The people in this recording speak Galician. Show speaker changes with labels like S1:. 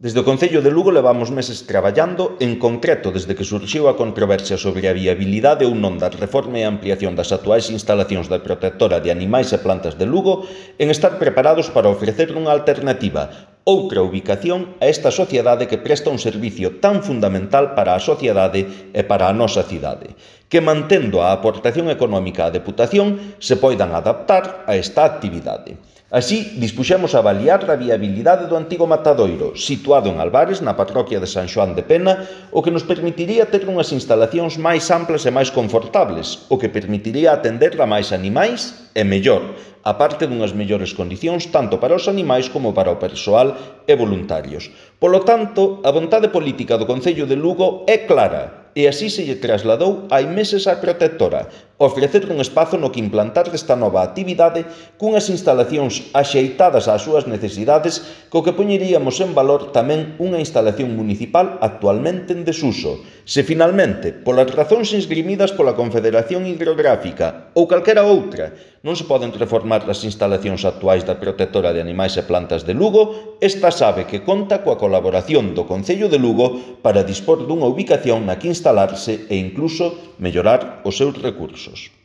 S1: Desde o Concello de Lugo levamos meses traballando, en concreto desde que surxiu a controversia sobre a viabilidade ou non da reforma e ampliación das actuais instalacións da Protectora de Animais e Plantas de Lugo, en estar preparados para ofrecer unha alternativa, outra ubicación a esta sociedade que presta un servicio tan fundamental para a sociedade e para a nosa cidade, que mantendo a aportación económica á Deputación se poidan adaptar a esta actividade. Así, dispuxemos a avaliar a viabilidade do antigo matadoiro, situado en Albares, na parroquia de San Xoán de Pena, o que nos permitiría ter unhas instalacións máis amplas e máis confortables, o que permitiría atender a máis animais e mellor, a parte dunhas mellores condicións tanto para os animais como para o persoal e voluntarios. Polo tanto, a vontade política do Concello de Lugo é clara, e así se lle trasladou hai meses á Protectora, ofrecer un espazo no que implantar esta nova actividade cunhas instalacións axeitadas ás súas necesidades, co que poñeríamos en valor tamén unha instalación municipal actualmente en desuso. Se finalmente, polas razóns esgrimidas pola Confederación Hidrográfica ou calquera outra, non se poden reformar as instalacións actuais da Protectora de Animais e Plantas de Lugo, esta sabe que conta coa colaboración do Concello de Lugo para dispor dunha ubicación na que instalarse e incluso mellorar os seus recursos.